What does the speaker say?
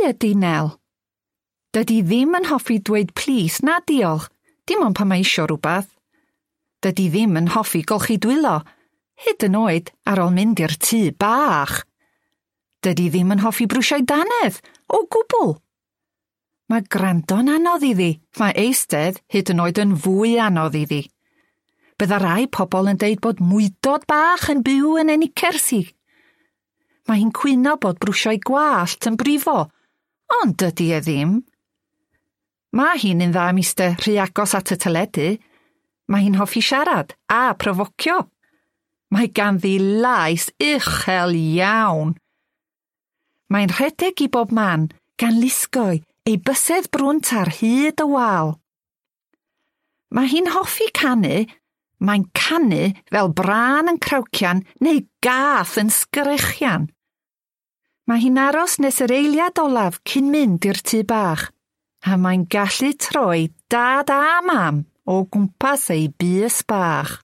ydy Nel. Dydy ddim yn hoffi dweud plîs na diolch, dim ond pan mae isio rhywbeth. Dydy ddim yn hoffi golchi dwylo, hyd yn oed ar ôl mynd i'r tŷ bach. Dydy ddim yn hoffi brwsio'i dannedd, o gwbl. Mae gwrando'n anodd iddi, mae eistedd hyd yn oed yn fwy anodd iddi. Bydda rai pobl yn deud bod mwydod bach yn byw yn ei knickers hi. Mae hi'n cwyno bod brwsio'i gwallt yn brifo, ond dydy e ddim. Mae hi'n un dda am iste rhy agos at y teledu. Mae hi'n hoffi siarad a profocio. Mae ganddi lais uchel iawn. Mae'n rhedeg i bob man, gan lusgoi ei bysedd brwnt ar hyd y wal. Mae hi'n hoffi canu. Mae'n canu fel brân yn crawcian neu gath yn sgrechian. Mae hi'n aros nes yr eiliad olaf cyn mynd i'r tŷ bach, a mae'n gallu troi dad a mam o gwmpas ei bys bach.